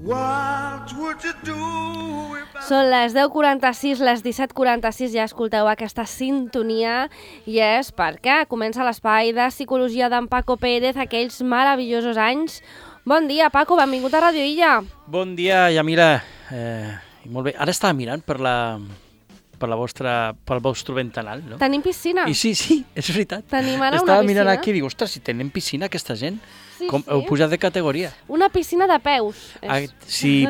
Són les 10:46, les 17:46, ja escolteu aquesta sintonia i és perquè comença l'espai de psicologia d'en Paco Pérez, aquells meravellosos anys. Bon dia, Paco, benvingut a Radio Illa. Bon dia, Yamila. Molt bé, ara estava mirant pel vostre ventanal, no? Tenim piscina. I sí, és veritat. Tenim ara estava una mirant piscina. aquí i dic, ostres, si tenen piscina aquesta gent, Sí, com sí. heu pujat de categoria. Una piscina de peus. Si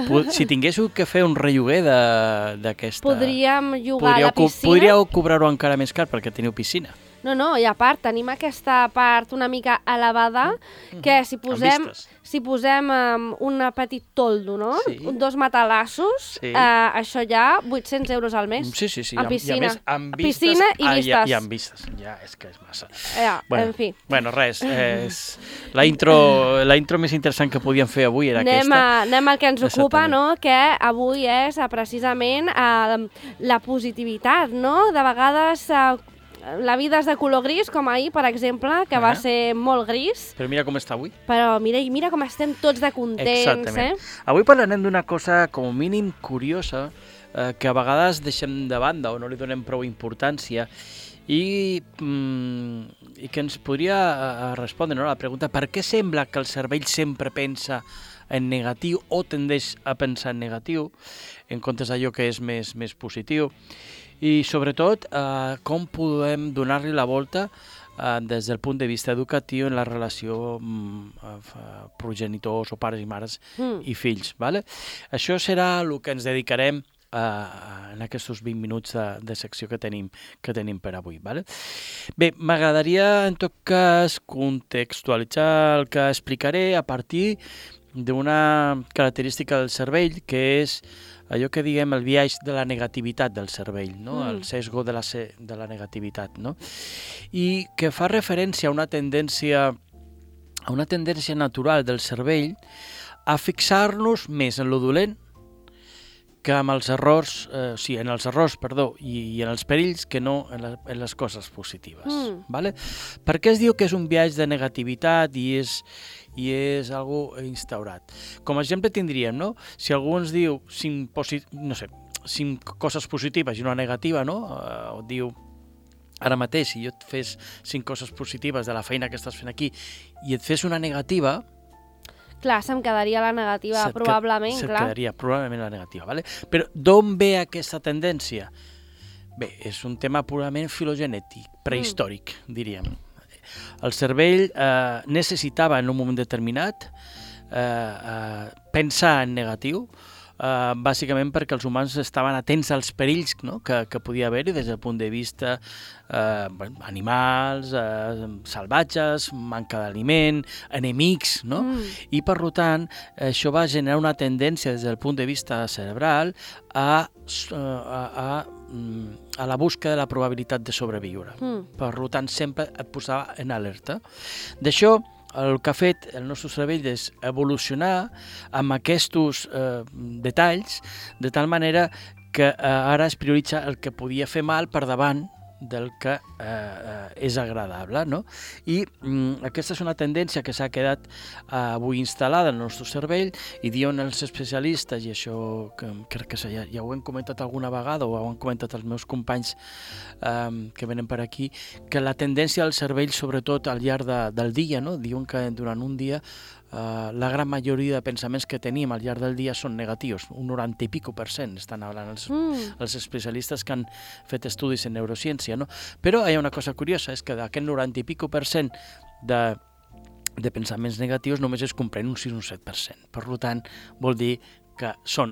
tinguéssiu que fer un relloguer d'aquesta... Podríem llogar la piscina. Podríeu cobrar-ho encara més car perquè teniu piscina. No, i a part tenim aquesta part una mica elevada que si posem un petit toldo, no? Sí. Dos matalassos, Sí. això ja 800 euros al mes. Sí. En piscina. I a més, amb vistes, Piscina i vistes. I amb vistes. Ja, és que és massa. En fi. Bueno, res. La intro més interessant que podíem fer avui era aquesta. Anem al que ens ocupa, Exactament. no? Que avui és precisament la positivitat, no? De vegades la vida és de color gris, com ahir, per exemple, que va ser molt gris. Però mira com està avui. Però mira com estem tots de contents, Exactament. Avui parlarem d'una cosa com a mínim curiosa que a vegades deixem de banda o no li donem prou importància i que ens podria respondre, no, la pregunta per què sembla que el cervell sempre pensa en negatiu o tendeix a pensar en negatiu en comptes d'allò que és més positiu i sobretot com podem donar-li la volta des del punt de vista educatiu en la relació progenitors o pares i mares i fills. Vale? Això serà el que ens dedicarem en aquests 20 minuts de secció que tenim per avui. Vale? Bé, m'agradaria en tot cas contextualitzar el que explicaré a partir d'una característica del cervell que és allò que diguem el biaix de la negativitat del cervell, no? El sesgo de la negativitat, no? I que fa referència a una tendència natural del cervell a fixar-nos més en lo dolent que amb els errors, i en els perills que no en les coses positives. Vale? Per què es diu que és un biaix de negativitat i és algo instaurat? Com a exemple tindríem, no? Si algú ens diu 5 coses positives i una negativa, no? O diu, ara mateix, si jo et fes 5 coses positives de la feina que estàs fent aquí i et fes una negativa... Clar, se'm quedaria la negativa, probablement, clar. Se'm quedaria probablement la negativa, vale? Però d'on ve aquesta tendència? Bé, és un tema purament filogenètic, prehistòric, diríem. El cervell necessitava en un moment determinat pensar en negatiu, bàsicament perquè els humans estaven atents als perills, no? que podia haver-hi des del punt de vista animals, salvatges, manca d'aliment, enemics, no? I per tant això va generar una tendència des del punt de vista cerebral a la busca de la probabilitat de sobreviure. Per tant sempre et posava en alerta. D'això el que ha fet el nostre cervell és evolucionar amb aquests detalls, de tal manera que ara es prioritza el que podia fer mal per davant del que és agradable, no? I aquesta és una tendència que s'ha quedat avui instal·lada en el nostre cervell i diuen els especialistes, i això crec que ja ho hem comentat alguna vegada o ho han comentat els meus companys que venen per aquí, que la tendència del cervell, sobretot al llarg del dia, no? Diuen que durant un dia la gran majoria de pensaments que tenim al llarg del dia són negatius, un 90 i pico %, estan parlant els especialistes que han fet estudis en neurociència, no? Però hi ha una cosa curiosa, és que d'aquest 90 i pico % de pensaments negatius només es comprèn un 6 o un 7%. Per tant, vol dir que són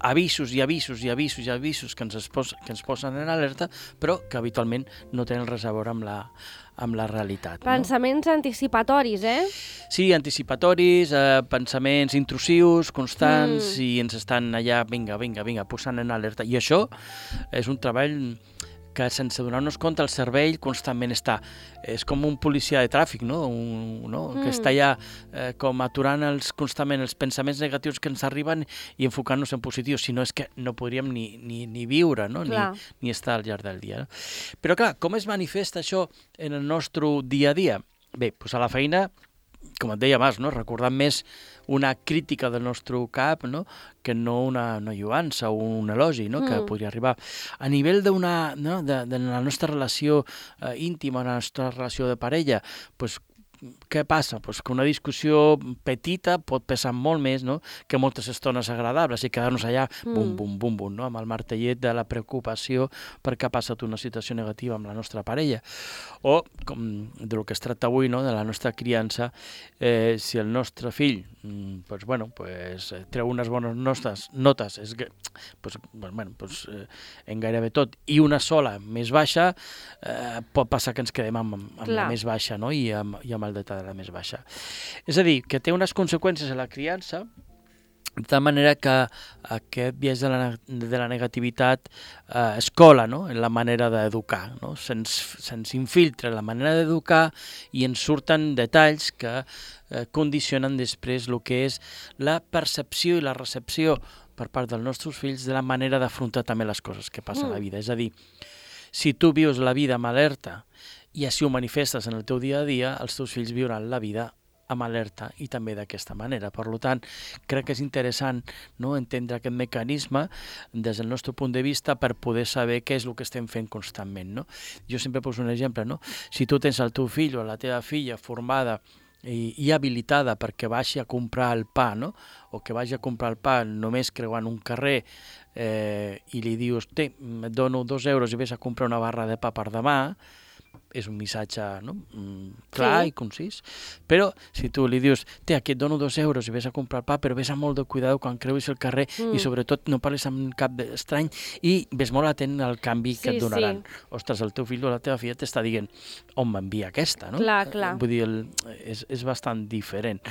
avisos i avisos i avisos i avisos que ens posen en alerta, però que habitualment no tenen res a veure amb la realitat. Pensaments anticipatoris, Sí, anticipatoris, pensaments intrusius, constants, i ens estan allà, vinga, posant en alerta. I això és un treball que sense donar-nos compte el cervell constantment és com un policia de tràfic, no? Que està allà com aturant constantment els pensaments negatius que ens arriben i enfocant-nos en positius, si no és que no podríem ni viure, no? Ni estar al llarg del dia. No? Però clar, com es manifesta això en el nostre dia a dia? Bé, doncs a la feina com et deia abans, no? Recordant més una crítica del nostre cap, no? Que no una lluança o un elogi, no? Que podria arribar. A nivell d'una, no? de la nostra relació íntima, la nostra relació de parella, doncs què passa? Pues que una discussió petita pot pesar molt més, no? Que moltes estones agradables i quedar-nos allà bum, bum, bum, bum, no? Amb el martellet de la preocupació perquè ha passat una situació negativa amb la nostra parella. O, com del que es tracta avui, no? De la nostra criança, si el nostre fill treu unes bones notes en gairebé tot, i una sola més baixa, pot passar que ens quedem amb la més baixa, no? I amb el detall de la més baixa. És a dir, que té unes conseqüències a la criança, de tal manera que aquest biaix de la negativitat es cola, no? En la manera d'educar, no? Se'ns infiltra la manera d'educar i ens surten detalls que condicionen després el que és la percepció i la recepció per part dels nostres fills de la manera d'afrontar també les coses que passen a la vida. És a dir, si tu vius la vida amb alerta i així ho manifestes en el teu dia a dia, els teus fills viuran la vida amb alerta i també d'aquesta manera. Per tant, crec que és interessant, no? Entendre aquest mecanisme des del nostre punt de vista per poder saber què és el que estem fent constantment, no? Jo sempre poso un exemple, no? Si tu tens el teu fill o la teva filla formada i habilitada perquè vagi a comprar el pa, no? O que vagi a comprar el pa només creuant un carrer i li dius, et dono 2 euros i vés a comprar una barra de pa per demà, és un missatge, no? Clar i concís. Però si tu li dius, aquí et dono 2 euros i vés a comprar pa, però vés amb molt de cuidado quan creuis el carrer i sobretot no parlis amb cap estrany i ves molt atent al canvi que et donaran. Ostres, el teu fill o la teva filla t'està dient on m'envia aquesta, no? Clar. Vull dir, és bastant diferent.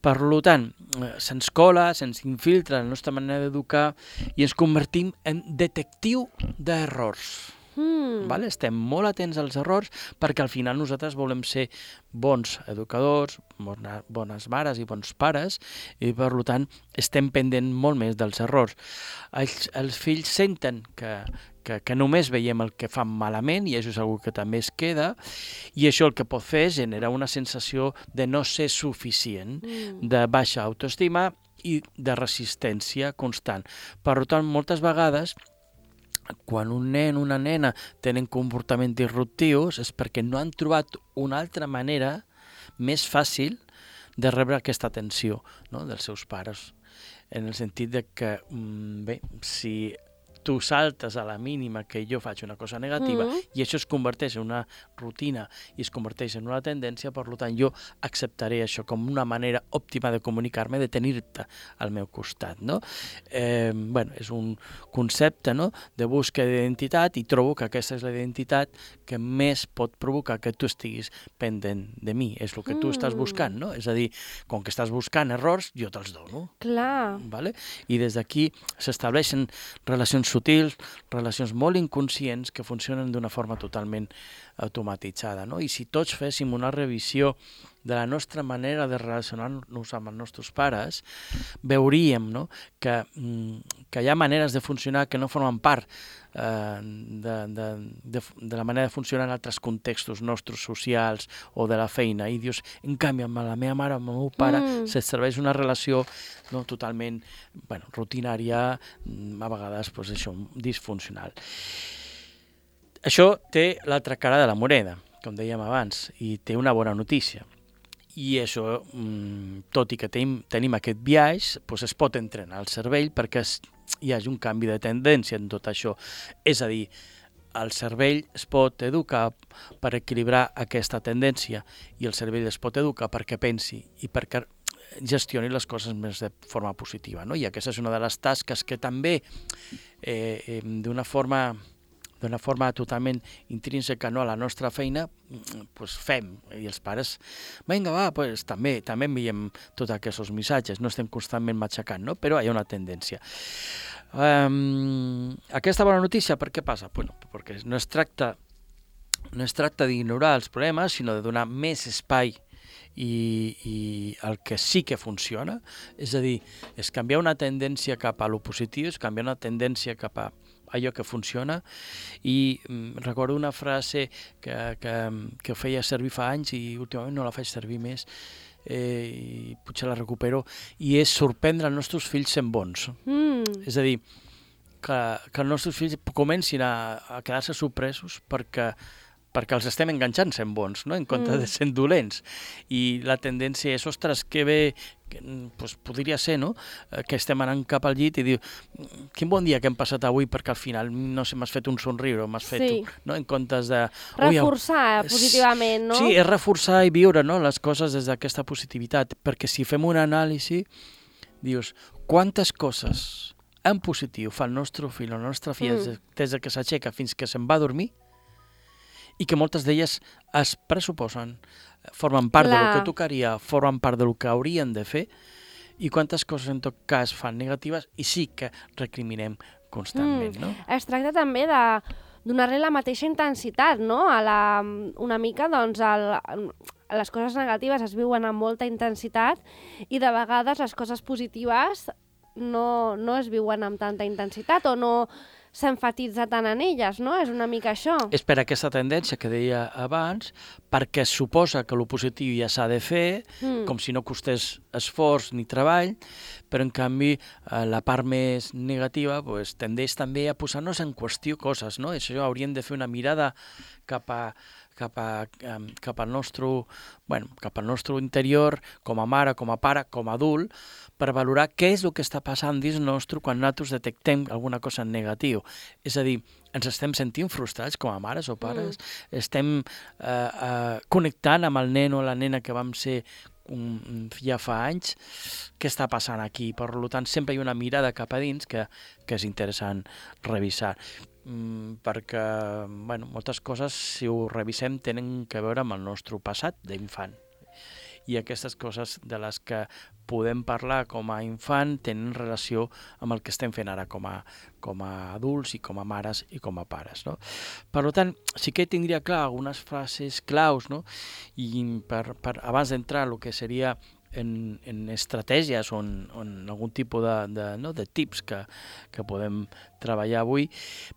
Per tant, se'ns cola, se'ns infiltra la nostra manera d'educar i ens convertim en detectiu d'errors. Vale? Estem molt atents als errors perquè al final nosaltres volem ser bons educadors, bones mares i bons pares i per tant estem pendent molt més dels errors. Els fills senten que només veiem el que fan malament i això és una que també es queda i això el que pot fer és generar una sensació de no ser suficient, de baixa autoestima i de resistència constant. Per tant, moltes vegades quan un nen o una nena tenen comportaments disruptius és perquè no han trobat una altra manera més fàcil de rebre aquesta atenció, no? Dels seus pares. En el sentit de que, si tu saltes a la mínima que jo faig una cosa negativa i això es converteix en una rutina i es converteix en una tendència, per tant jo acceptaré això com una manera òptima de comunicar-me, de tenir-te al meu costat, no? És un concepte, no? De búsqueda d'identitat i trobo que aquesta és la identitat que més pot provocar que tu estiguis pendent de mi. És el que tu estàs buscant, no? És a dir, com que estàs buscant errors, jo te'ls dono. Clar. Vale? I des d'aquí s'estableixen relacions sutils, relacions molt inconscients que funcionen d'una forma totalment automatitzada, no? I si tots féssim una revisió de la nostra manera de relacionar-nos amb els nostres pares, veuríem, no? que hi ha maneres de funcionar que no formen part de la manera de funcionar en altres contextos nostres socials o de la feina. I dius, en canvi, amb la meva mare, amb el meu pare, s'estableix una relació totalment rutinària, a vegades disfuncional. Això té l'altra cara de la moneda, com dèiem abans, i té una bona notícia. I això, tot i que tenim aquest biaix, es pot entrenar el cervell perquè hi hagi un canvi de tendència en tot això. És a dir, el cervell es pot educar per equilibrar aquesta tendència i el cervell es pot educar perquè pensi i perquè gestioni les coses més de forma positiva, no? I aquesta és una de les tasques que també d'una forma totalment intrínseca a la nostra feina, fem. I els pares, vinga, també enviem tots aquests missatges, no estem constantment matxacant, no? Però hi ha una tendència. Aquesta bona notícia, per què passa? Perquè no es tracta d'ignorar els problemes, sinó de donar més espai i el que sí que funciona, és a dir, és canviar una tendència cap a lo positiu, és canviar una tendència cap a allò que funciona. I recordo una frase que feia servir fa anys i últimament no la faig servir més, i potser la recupero, i és sorprendre els nostres fills sent bons. És a dir, que els nostres fills comencin a quedar-se sorpresos perquè els estem enganxant sent bons, no? En comptes de sent dolents. I la tendència és, ostres, que bé, doncs podria ser, no? Que estem anant cap al llit i diu, quin bon dia que hem passat avui, perquè al final, no sé, m'has fet un somriure, m'has fet, no? En comptes de... Reforçar positivament, no? Sí, és reforçar i viure, no? Les coses des d'aquesta positivitat, perquè si fem una anàlisi, dius, quantes coses en positiu fa el nostre fill o la nostra filla des que s'aixeca fins que se'n va a dormir, i que moltes d'elles es pressuposen, formen part del que tocaria, formen part del que haurien de fer, i quantes coses en tot cas fan negatives i sí que recriminem constantment, no? Es tracta també de donar-li la mateixa intensitat, no? Una mica, doncs, les coses negatives es viuen amb molta intensitat i de vegades les coses positives no es viuen amb tanta intensitat o no s'enfatitza tant en elles, no? És una mica això. És per aquesta tendència que deia abans, perquè es suposa que el positiu ja s'ha de fer, com si no costés esforç ni treball, però en canvi la part més negativa tendeix també a posar-nos en qüestió coses, no? Això hauríem de fer una mirada cap al nostre interior, com a mare, com a pare, com a adult, per valorar què és el que està passant dins nostre quan nosaltres detectem alguna cosa en negatiu. És a dir, ens estem sentint frustrats com a mares o pares, estem connectant amb el nen o la nena que vam ser ja fa anys, què està passant aquí? Per tant, sempre hi ha una mirada cap a dins que és interessant revisar. Perquè moltes coses, si ho revisem, tenen a veure amb el nostre passat d'infant. I aquestes coses de les que podem parlar com a infant tenen relació amb el que estem fent ara com a adults i com a mares i com a pares, no? Per tant, sí que tindria clar algunes frases claus, no? I abans d'entrar el que seria en estratègies o en algun tipus de tips que podem treballar avui,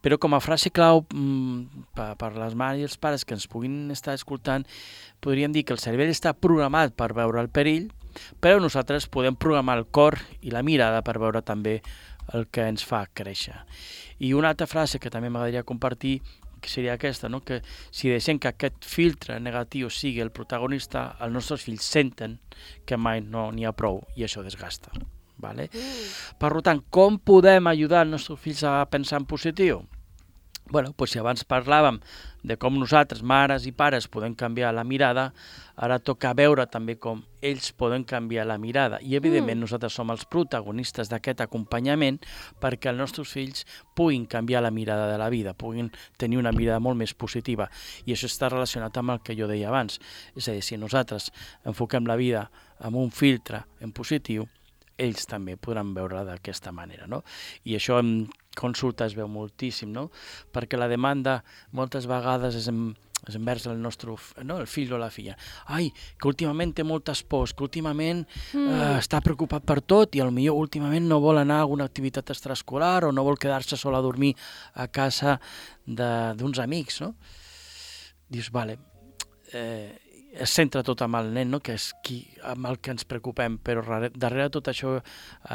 però com a frase clau per les mares i els pares que ens puguin estar escoltant, podríem dir que el cervell està programat per veure el perill, però nosaltres podem programar el cor i la mirada per veure també el que ens fa créixer. I una altra frase que també m'agradaria compartir que seria aquesta, no? Que si deixem que aquest filtre negatiu sigui el protagonista, els nostres fills senten que mai no n'hi ha prou i això desgasta. Vale? Per tant, com podem ajudar els nostres fills a pensar en positiu? Si abans parlàvem de com nosaltres, mares i pares, podem canviar la mirada, ara toca veure també com ells poden canviar la mirada. I, evidentment, nosaltres som els protagonistes d'aquest acompanyament perquè els nostres fills puguin canviar la mirada de la vida, puguin tenir una mirada molt més positiva. I això està relacionat amb el que jo deia abans. És a dir, si nosaltres enfoquem la vida amb un filtre en positiu, ells també podran veure d'aquesta manera, no? I això en consulta es veu moltíssim, no? Perquè la demanda moltes vegades és envers el nostre el fill o la filla. Ai, que últimament té moltes pors, que últimament està preocupat per tot i potser últimament no vol anar a alguna activitat extraescolar o no vol quedar-se sol a dormir a casa d'uns amics, no? Dius, vale, es centra tot amb el nen, no? Que és amb el que ens preocupem, però darrere de tot això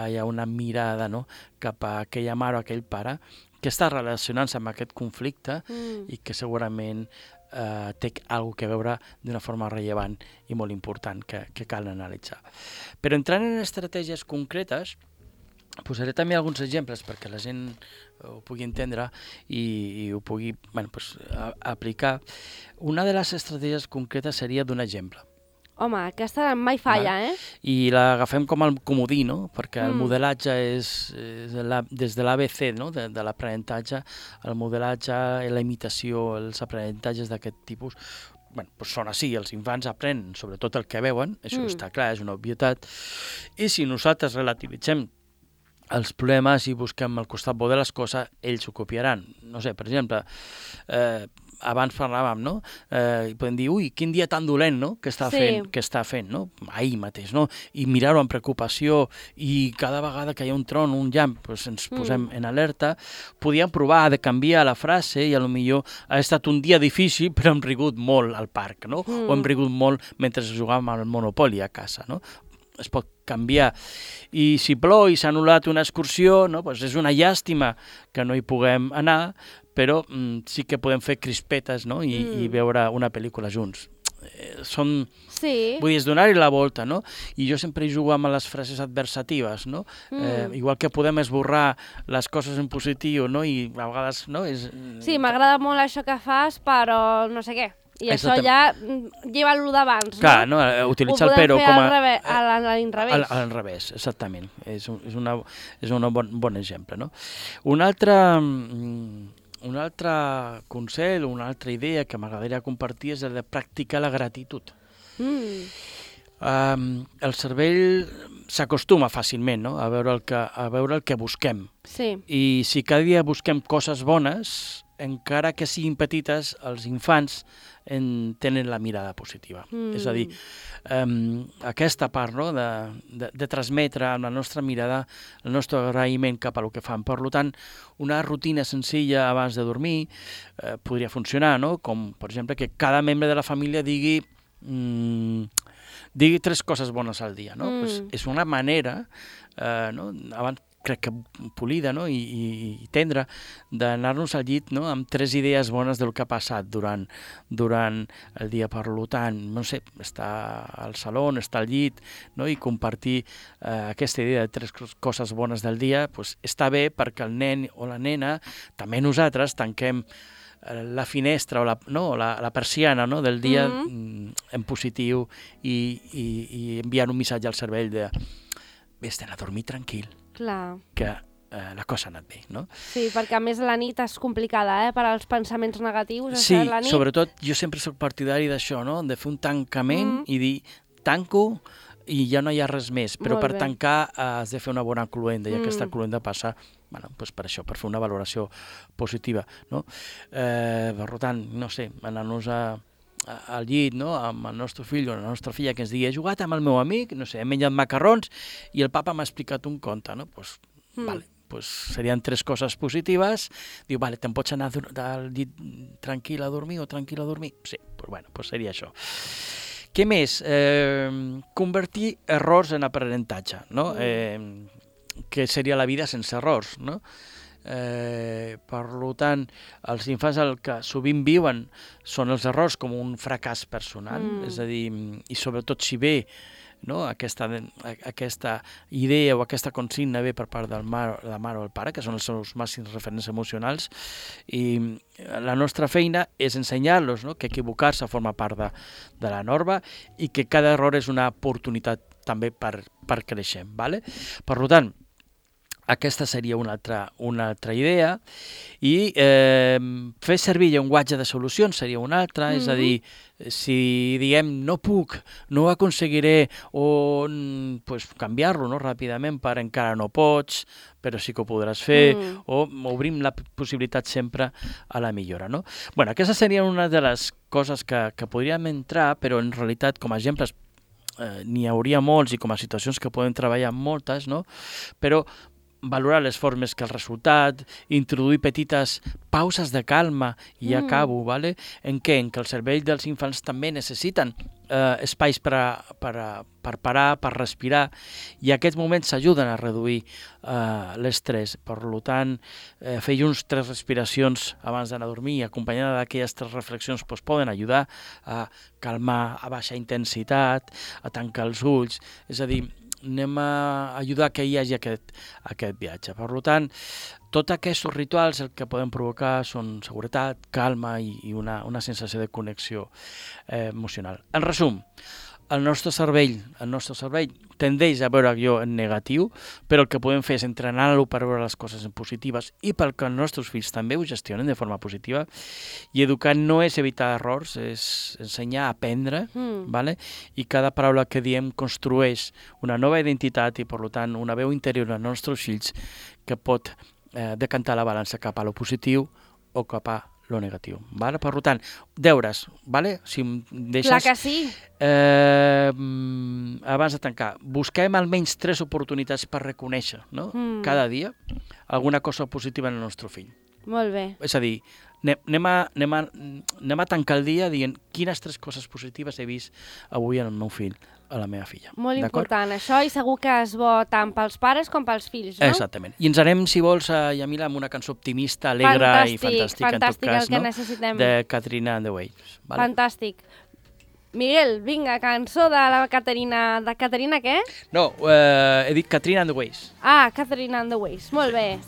hi ha una mirada, no? Cap a aquella mare o aquell pare que està relacionant-se amb aquest conflicte i que segurament té alguna cosa a veure d'una forma rellevant i molt important que cal analitzar. Però entrant en estratègies concretes, posaré també alguns exemples perquè la gent ho pugui entendre i ho pugui aplicar. Una de les estratègies concretes seria d'un exemple. Home, aquesta mai falla, I l'agafem com el comodí, no? Perquè el modelatge és des de l'ABC, no? De l'aprenentatge, el modelatge, la imitació, els aprenentatges d'aquest tipus, són així, els infants aprenen sobretot el que veuen, això està clar, és una obvietat, i si nosaltres relativitzem els problemes i busquem el costat bo de les coses, ells ho copiaran. No sé, per exemple, abans parlàvem, no? I podem dir, ui, quin dia tan dolent, no?, que està fent, no? Ahir mateix, no? I mirar-ho amb preocupació i cada vegada que hi ha un tron, un llamp, doncs ens posem en alerta. Podíem provar de canviar la frase i potser ha estat un dia difícil però hem rigut molt al parc, no? O hem rigut molt mentre jugàvem al Monopoly a casa, no? Es pot canviar. I si plou i s'ha anul·lat una excursió, no? Pues és una llàstima que no hi puguem anar, però sí que podem fer crispetes, no? I veure una pel·lícula junts. Vull dir, és donar-hi la volta, no? I jo sempre jugo amb les frases adversatives, no? Igual que podem esborrar les coses en positiu, no? I a vegades, no? Sí, m'agrada molt això que fas, però no sé què. I això ja lleva lo d'abans, no? Clar, no? Utilitza el però com a... Ho podem fer a l'inrevés. A l'inrevés, exactament. És un bon exemple, no? Un altre consell, una altra idea que m'agradaria compartir és el de practicar la gratitud. El cervell s'acostuma fàcilment, no?, a veure el que busquem. Sí. I si cada dia busquem coses bones, encara que siguin petites, els infants tenen la mirada positiva. És a dir, aquesta part, no?, de transmetre amb la nostra mirada el nostre agraïment cap a el que fan. Per tant, una rutina senzilla abans de dormir podria funcionar, no?, com, per exemple, que cada membre de la família digui 3 coses bones al dia, no? Pues és una manera, no?, abans crec que polida, no?, i tendra, d'anar-nos al llit, no?, amb 3 idees bones del que ha passat durant el dia. Per tant, no sé, estar al saló, estar al llit, no?, i compartir aquesta idea de 3 coses bones del dia, pues, està bé perquè el nen o la nena, també nosaltres, tanquem la finestra o la persiana, no?, del dia en positiu i enviant un missatge al cervell de vés-te'n a dormir tranquil. Clar. Que la cosa ha anat bé, no? Sí, perquè a més la nit és complicada, per als pensaments negatius. Sí, sobretot jo sempre soc partidari d'això, no?, de fer un tancament i dir, tanco i ja no hi ha res més, però per tancar has de fer una bona cluenda i aquesta cluenda passa, per això, per fer una valoració positiva, no? Per tant, no sé, anar-nos al llit, no?, amb el nostre fill o la nostra filla que ens digui he jugat amb el meu amic, no sé, hem menjat macarrons i el papa m'ha explicat un conte, no? Pues serien 3 coses positives. Diu, vale, te'n pots anar al llit tranquil a dormir o tranquil a dormir? Sí, pues seria això. Què més? Convertir errors en aprenentatge, no? Que seria la vida sense errors, no? Per tant, els infants el que sovint viuen són els errors com un fracàs personal, és a dir, i sobretot si ve, no?, aquesta idea o aquesta consigna ve per part de la mare o el pare, que són els seus màxims referents emocionals, i la nostra feina és ensenyar-los, no?, que equivocar-se forma part de la norma i que cada error és una oportunitat també per créixer. Per tant, aquesta seria una altra idea. I fer servir llenguatge de solucions seria una altra, és a dir, si diem no puc, no ho aconseguiré, o canviar-lo, no?, ràpidament per encara no pots, però sí que ho podràs fer, o obrim la possibilitat sempre a la millora, no? Aquesta seria una de les coses que podríem entrar, però en realitat com a exemples n'hi hauria molts i com a situacions que podem treballar moltes, no? Però valorar les formes que el resultat, introduir petites pauses de calma, i acabo, en què? En què el cervell dels infants també necessiten espais per parar, per respirar, i aquests moments s'ajuden a reduir l'estrès. Per tant, fer uns 3 respiracions abans d'anar a dormir, acompanyada d'aquelles 3 reflexions, poden ajudar a calmar, a baixar intensitat, a tancar els ulls, és a dir, anem a ajudar que hi hagi aquest viatge. Per tant, tots aquests rituals el que poden provocar són seguretat, calma i una sensació de connexió emocional. En resum, el nostre cervell tendeix a veure allò en negatiu, però el que podem fer és entrenar-lo per veure les coses en positives i perquè els nostres fills també ho gestionen de forma positiva. I educar no és evitar errors, és ensenyar a aprendre, i cada paraula que diem construeix una nova identitat i, per tant, una veu interior als nostres fills que pot decantar la balança cap a lo positiu o cap a lo negatiu. Vale? Per tant, deures, vale? Si em deixes... Clar que sí. Abans de tancar, busquem almenys 3 oportunitats per reconèixer, no? Cada dia alguna cosa positiva en el nostre fill. Molt bé. És a dir, anem a tancar el dia dient quines 3 coses positives he vist avui en el meu fill, a la meva filla. Molt important això, i segur que és bo tant pels pares com pels fills, no? Exactament. I ens anem, si vols, Yamila, amb una cançó optimista, alegre i fantàstica, en tot cas, el que necessitem. De Katrina and the Waves. Vale? Fantàstic. Miguel, vinga, cançó de la Caterina... De Caterina què? No, he dit Katrina and the Waves. Ah, Caterina and the Waves. Molt bé.